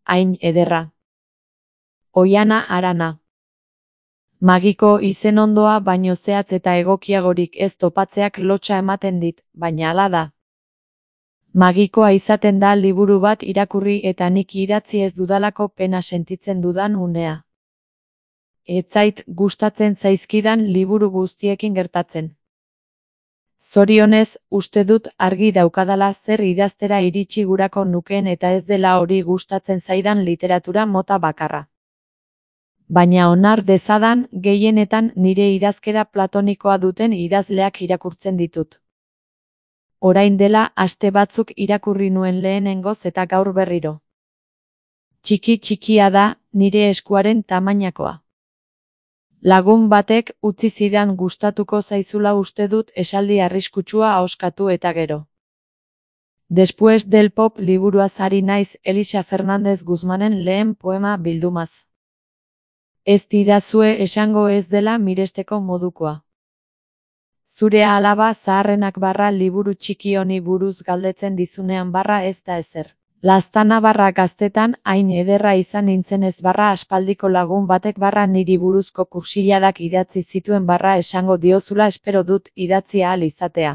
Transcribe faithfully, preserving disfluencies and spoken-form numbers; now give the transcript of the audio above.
hain ederra. Oiana Arana. Magiko izen ondoa baino zehatz eta egokiagorik ez topatzeak lotsa ematen dit, baina hala da. Magikoa izaten da liburu bat irakurri eta nik idatzi ez dudalako pena sentitzen dudan unea. Ez zait gustatzen zaizkidan liburu guztiekin gertatzen. Zorionez, uste dut argi daukadala zer idaztera iritsi gurako nukeen eta ez dela hori gustatzen zaidan literatura mota bakarra. Baina onar dezadan, gehienetan nire idazkera platonikoa duten idazleak irakurtzen ditut. Orain dela aste batzuk irakurri nuen lehenengoz eta gaur berriro. Txiki txikia da, nire eskuaren tamainakoa. Lagun batek utzi zidan gustatuko zaizula uste dut esaldi arriskutsua ahoskatu eta gero. Después del pop liburuaz ari naiz Elisa Fernández Guzmanen lehen poema bildumaz. Ez didazue esango ez dela miresteko modukoa. Zure alaba zaharrenak barra liburu txiki honi buruz galdetzen dizunean barra ez da ezer. Laztana barra gaztetan hain ederra izan nintzenez barra aspaldiko lagun batek barra niri buruzko kursiladak idatzi zituen barra esango diozula espero dut idatzi ahal izatea.